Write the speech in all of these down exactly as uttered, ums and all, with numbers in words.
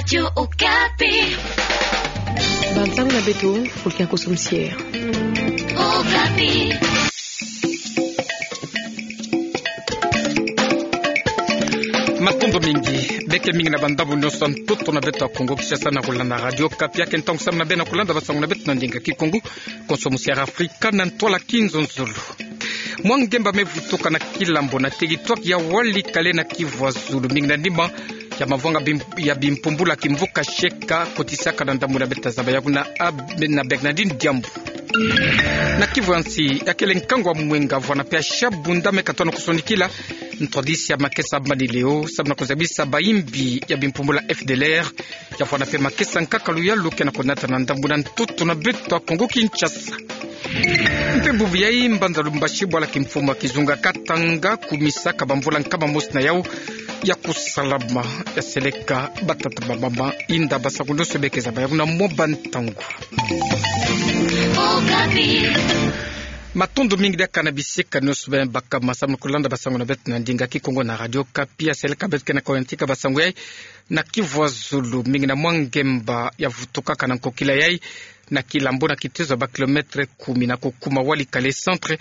Radio Okapi. Bantangu na beto, Fulkia Kosomusier. Okapi. Matondo mingi, beke mingi na bandambu nyonso ya ntoto na beto ya Kongo Kinshasa na kulanda Radio Okapi. Ake ntangu samu na beno kulanda basangu na beto na ndinga Kikongo. Kosomusier Afrika na ntwala kinzonzolo. Mwa ngemba mevutuka na Kilambo na territoire ya Walikale na Kivu ya Zulu, mingi na nima ya mavwanga bim-, ya bimpumbula kimvuka sheka, kotisaka na ndambu na beta zaba ya kuna ab-, na Bernardine Diambu. Na Kivu ya Nsi, ya kele nkangu wa mwenga vwana pe ya shabunda me katwa na kusonikila, ntwadisi ya makesa manileo, samu na kuzabisa bayimbi ya bimpumbula F D L R, ya vwana pe makesa nkaka luyalu ke na kunata na ndambu na ntoto na beto ya Kongo Kinshasa. Mpe bubu yayi mbanza Lubumbashi bwala kimfumu ya kizunga Katanga kumisaka bamvula nkama mosi na yau ya kusalama, ya seleka batata bamama. Inda basangu nyonso beke zaba ya kuna mwa bantangu. Matondo mingi diaka na bisika nyonso beno baka masamu na kulanda basangu na beto na ndinga Kikongo na Radio Okapi. Ya seleka beto ke na koyantika basangu yayi na Kivu ya Zulu, mingi na mwa ngemba ya vutukaka na nkokila yayi na Kilambo na kitezo ya ba kilomètre kumi na kukuma Walikale centre,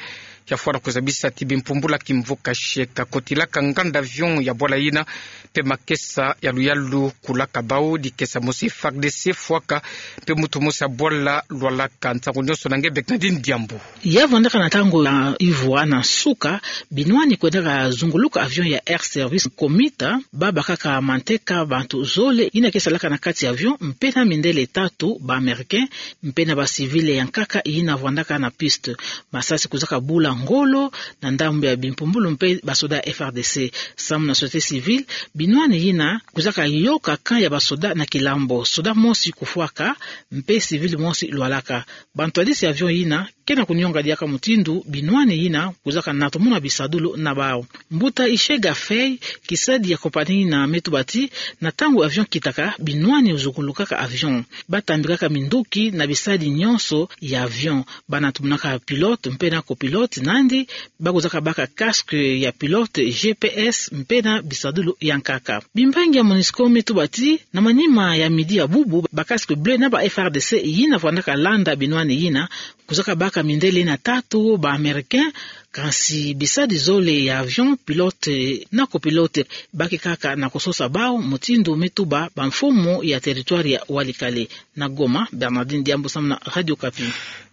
ya vwana kuzabisa ti bimpumbula kimvuka sheka kotilaka nganda avion ya bwala yina, mpe makesa ya luyalu kulaka bau, dikesa mosi F A R D C fwaka, mpe muntu mosi ya bwala lwalaka. Nsangu nyonso na nge Bernardine Diambu. Ya vwandaka na ntangu ya ivwa na nsuka, binwani kwendaka zunguluka avion ya Air Service Commuter, babakaka manteka bantu zole yina ke salaka na kati ya avion, mpe na mindele tatu ba Américains, mpe na ba civils ya nkaka yina vwandaka na piste. Masasi kwizaka bula ngolo na ndambu ya bimpumbulu mpe basoda ya F A R D C. Samu na société civile, binwani yina kwizaka yoka camp ya basoda na Kilambo, soda mosi kufwaka, mpe civil mosi lwalaka. Bantwadisi ya avion yina ke na kunionga diaka mutindu binwani yina kwizaka natomona bisadulu na bau. Mbuta Ishega Fei, kisadi ya compagnie yina, me tuba ti na ntangu avion kitaka, binwani zungulukaka avion. Batambikaka minduki na bisadi nyonso ya avion. Banatomonaka pilote mpe na copilote, nandi bakwizaka baka casque ya pilote, G P S mpe na bisadulu ya nkaka. Bimbangi ya MONUSCO me tuba ti na manima ya midi ya bubu, ba casque bleu na ba F A R D C yina vwandaka landa binwani yina kwizaka baka mindele na tatu ba Américains, kansi bisadi zole ya avion, pilote na copilote, bake kaka na kusosa bau, mutindu me tuba bamfumu ya territoire ya Walikale. Na Goma, Bernardine Diambu samu na Radio Okapi.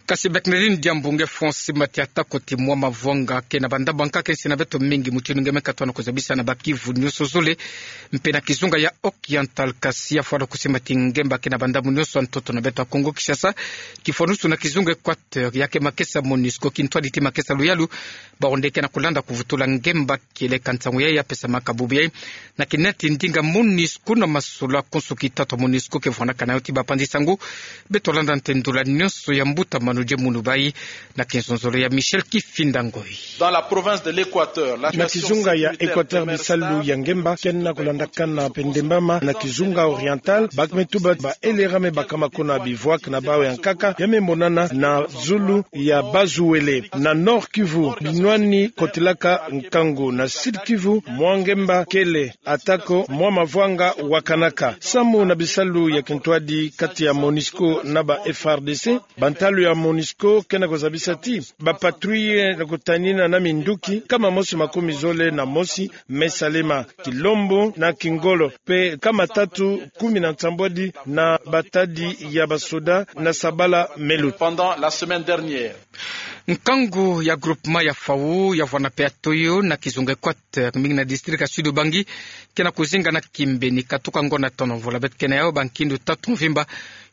Kasi Bernardine Diambu, nge fwa nsi mati atako ti mwa mavwanga ke na bandambu ya nkaka ke nsi na beto mingi, mutindu nge me katwa na kuzabisa na ba Kivu nyonso zole, mpe na kizunga ya Oriental, kasi ya vwana kusimba ti ngemba ke na bandambu nyonso ya ntoto na beto ya Kongo Kinshasa, kifwanusu na kizunga Équateur, ya ke makesa MONUSCO, kintwadi ti makesa luyalu, ba Rwandais ke na kulanda kuvutula ngemba. Kieleka nsangu yayi ya pesamaka bubu yayi na kinati ndinga MONUSCO na masolo konso kitatu MONUSCO ke vwanaka na yo ti bapanzi nsangu. Beto landa nte ndula nyonso ya mbuta Manu Diamunu bayi na kinzonzolo ya Michel Kifinda Ngoi. Dans la province de l'Équateur, la... Na kizunga ya Équateur, bisalu ya ngemba ke na kulandakana mpe ndembama. Na kizunga Oriental, ba ke me tuba ba L R A me bakama kuna bivwaka na bau ya nkaka ya me monana na zulu ya Bas-Uele. Na Nord-Kivu, binwani kotilaka nkangu. Na Sud-Kivu, mwa ngemba kele, atako mwa mavwanga wakanaka. Samu na bisalu ya kintwadi kati ya MONUSCO na ba F A R D C, bantalu ya MONUSCO ke na kuzabisa ti ba patrouilles na kutanina na minduki nkama mosi makumi zole na mosi me salema, kilombo na kingolo, mpe nkama tatu kumi na nsambwadi na batadi ya basoda na sabala me luta. Pendant la semaine dernière. Nkangu ya groupement ya Fau, ya vwana mpe ya Toyo, na kizunga Équateur, mingi na district ya Sud-Ubangi, ke na kuzinga na kimbeni katuka ngonda tono. Mvula beto ke na yo, bankindu tatu mvimba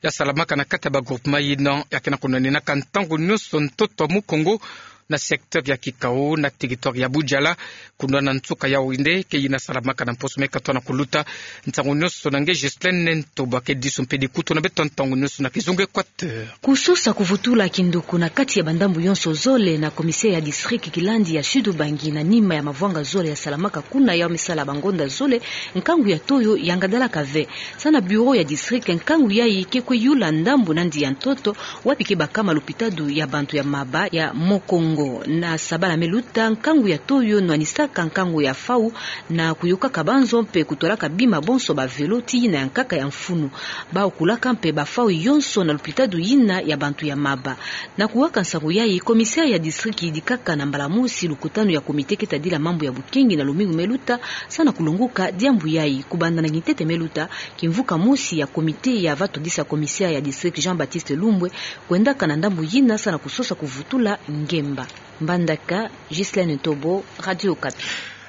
ya salamaka na kati ya ba groupement yina, ya ke na kunwaninaka ntangu nyonso ntoto ya Mukongo, na secteur ya Kikau, na territoire ya Budjala, kunwana nsuka ya Winde, ke yina salamaka na mposo me katwa na kuluta. Nsangu nyonso na nge Ghislaine Ntoba, ke disu mpe dikutu na beto ntangu nyonso na kizunga Équateur. Kusosa kuvutula kinduku na kati ya bandambu yonso zole na commissaire ya district kilandi ya Sud-Ubangi na nima ya mavwanga zole ya salamaka kuna ya me sala bangonda zole, nkangu ya Toyo yangadalaka ve. Sa na bureau ya district, nkangu yayi ke kwe yula ndambu nandi ya ntoto, wapi ke bakama lopitalo ya bantu ya maba ya Mukongo. Na sabala me luta, nkangu ya Toyo nwanisaka nkangu ya fau na kuyokaka banzo mpe kutwalaka bima bonso ba velo ti yina ya nkaka ya mfunu. Bau kulaka mpe bafau yonso na lupitadu yina ya bantu ya maba. Na kuwaka nsangu yayi, commissaire ya district yidikaka na mbala mosi lukutanu ya comité keta dila mambu ya bukengi na lumingu me luta, sa na kulongoka diambu yayi. Kubanda na kintete me luta, kimvuka mosi ya comité ya va todisa commissaire ya district Jean-Baptiste Lumbwe kwendaka na ndambu yina sa na kusosa kuvutula ngemba. Mbandaka, Ghislaine Ntobo, Radio Okapi.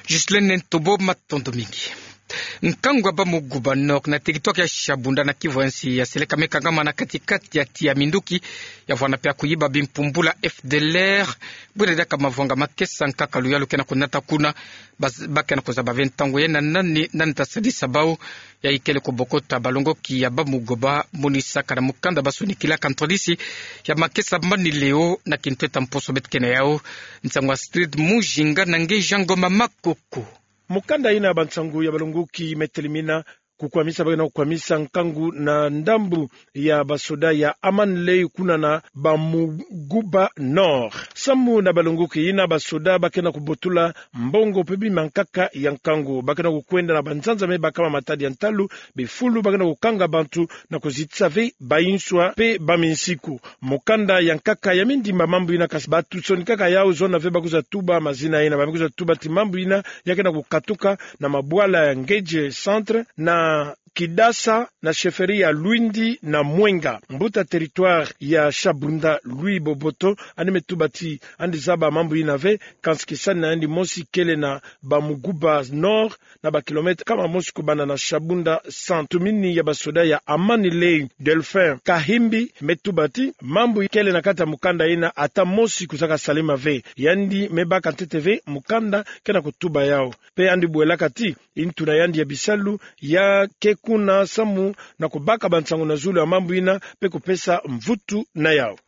Ghislaine Ntobo, matondo mingi. Nkangu ya Bamuguba Nord na territoire ya Shabunda na Kivu ya nsi yaseleka me kangama na kati-kati ya tiya minduki ya vwanda mpe ya kuyiba bimpumbula F D L R. Bwina diaka mavwanga makesa nkaka luyalu ke na kunata kuna. Bas-, ba ke na kuzaba ve ntangu yayi na nani, nani ta sadisa bau. Yayi kele kubokota balongoki ya Bamuguba, monisaka na mukanda basonikilaka ntwadisi ya makesa mani leo na kintweta mposo beto ke na yau. Nsangu Astrid Mujinga na nge Jean Ngoma Makoko. Mukanda yina ya bansangu ya balongoki me telimina kukwamisa, ba ke na kukwamisa nkangu na ndambu ya basoda ya Aman Ley kuna na Bamuguba Nord. Samu na balongoki yina, basoda ba ke na kubotula mbongo mpe bima nkaka ya nkangu. Ba ke na kukwenda na banzanza me bakama matadi ya ntalu, bifulu, ba ke na kukanga bantu na kuzitisa ve bayinswa mpe baminsiku. Mukanda ya nkaka ya mindimba mambu yina, kasi bato sonikaka yau zona ve ba kwiza tuba mazina yina. Ba me kwiza tuba ti mambu yina ya ke na kukatuka na mabwala ya Ngedje Centre, na Kidasa, na chefferie ya Lwindi na Mwenga. Mbuta territoire ya Shabunda, Louis Boboto, yandi me tuba ti yandi zaba mambu yina ve, kansi kisani na yandi mosi kele na Bamuguba Nord, na ba kilomètre kama mosi kubanda na Shabunda Centre. Ntumini ya basoda ya Amani Ley, Delphin Kahimbi, me tuba ti mambu kele na kati ya mukanda yina, ata mosi kwizaka salama ve. Yandi me baka ntete ve mukanda ke na kutuba yau. Mpe yandi bwelaka ti ntu na yandi ya bisalu ya ke kuna samu na kubaka bansangu na zulu ya mambu yina mpe kupesa mvutu na yau.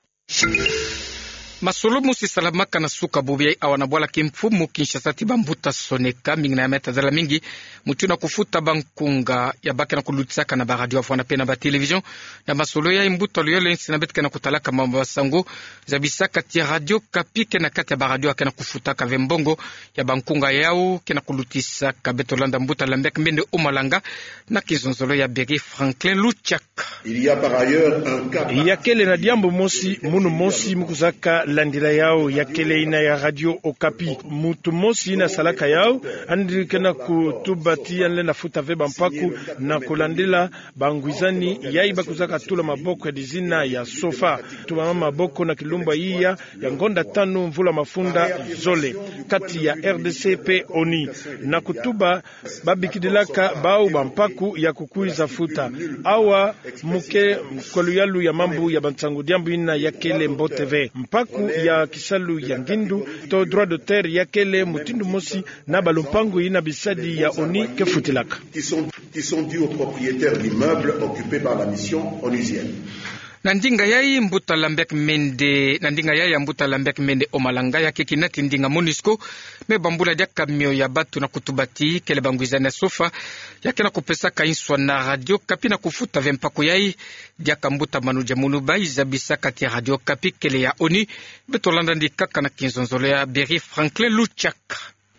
Masolo mosi salamaka na suka bubu yayi awa na bwala kimfumu Kinshasa ti bambuta soneka mingi na ya me tazala mingi mutindu na kufuta bankunga ya ba ke na kulutisaka na baradio ya vwanda mpe na batelevision. Na masolo yayi, mbuta luyolo ya nsi na beto ke na kutalaka mambu ya sango zabisaka ti Radio Okapi ke na kati ya baradio ya ke na kufutaka ve mbongo ya bankunga yau ke na kulutisaka. Beto landa mbuta Lambert Mende Omalanga na kizonzolo ya Berry Franklin Luchak. Il y a par ailleurs un cas. Ya kele na diambu mosi, munu mosi mu kwizaka landila yau, ya kele yina ya Radio Okapi. Muntu mosi yina salaka yau, yandi ke na kutuba ti yandi lenda futa ve bampaku na kulandila bangwizani yayi ba kwizaka tula maboko ya dizina ya SOFA. Tula maboko na kilumbu ya iya ya ngonda tanu mvula mafunda zole, kati ya R D C mpe ONU. Na kutuba babikidilaka bau bampaku ya kukwiza futa. Awa mu ke kwa luyalu ya mambu ya bansangu, diambu yina ya kele mbote ve. Mpaku ya kisalu ya ngindu to droit d'auteur ya kele mutindu mosi na balumpangu yina bisadi ya ONU ke futilaka. Qui sont, qui sont dus aux propriétaires d'immeubles occupés par la mission onusienne. Na ndinga yayi mbuta Lambert Mende, na ndinga yayi ya mbuta Lambert Mende Omalanga, ya ke kina ti ndinga MONUSCO me bambula diaka mio ya bato na kutuba ti kele bangwizani ya SOFA ya ke na kupesaka nswa na Radio Okapi na kufuta ve mpaku yayi. Diaka mbuta Manu Diamounouba zabisaka ti Radio Okapi kele ya ONU. Beto landa yandi kaka na kinzonzolo ya Berry Franklin Luchak.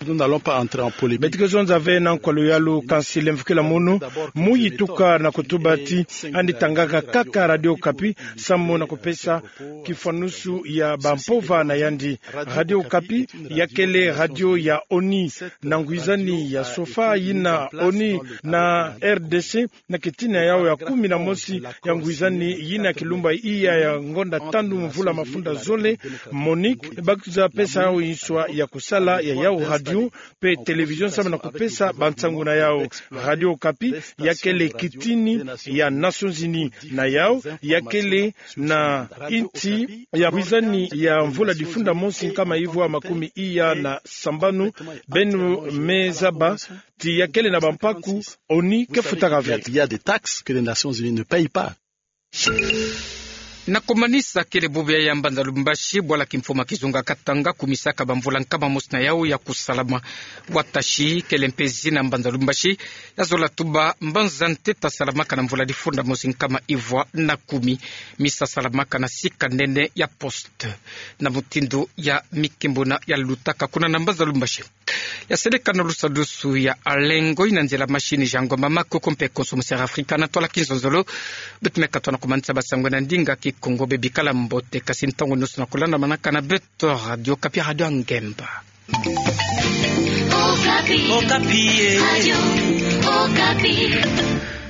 Nous n'allons pas entrer en polémique. Beto ke zonza ve na nkwa luyalu, kansi lemvukila munu, mu yituka na kutuba ti yandi tangaka kaka Radio Okapi samu na kupesa kifwanusu ya bampova na yandi. Radio Okapi ya kele radio ya ONU, na ngwizani ya SOFA yina ONU na R D C, na kitina yau ya kumi na mosi ya ngwizani yina kilumbu ya iya ya ngonda tanu mvula mafunda zole, MONUC ba kwiza pesa yau nswa ya kusala ya yau radio mpe télévision samu na kupesa bansangu na yau. Radio Okapi ya kele kitini ya Nations Unies, na yau ya kele na insi ya ngwizani ya mvula difunda mosi nkama ivwa makumi iya na sambanu. Beno me zaba ti ya kele na bampaku ONU ke futaka ve. Il y a des taxes que les Nations Unies ne payent pas. Na komanisa kele bubu ya mbanza Lubumbashi, bwala kimfuma kizunga Katanga, kumisaka bamvula nkama mosi na yau ya kusalama. Watashi kele mpe zina mbanza Lubumbashi, ya zola tuba mbanza nteta salamaka na mvula difunda mosi nkama ivwa na kumi. Misa salamaka na sika nene ya poste, na mutindu ya mikimbuna ya lutaka kuna na mbanza Lubumbashi. Ya seleka na lusadusu ya alengo ina nzila mashini Jango Mama, kuku mpe Konso Musera Afrika na twala kinzonzolo. Beto meka tona komanisa basango na ndinga Kikongo. Bebikala mbote, kasi ntangu nusu na kulandamanaka na beto Radio Okapi, Radio ya Ngemba. Okapi. Okapi, eh. Radio Okapi.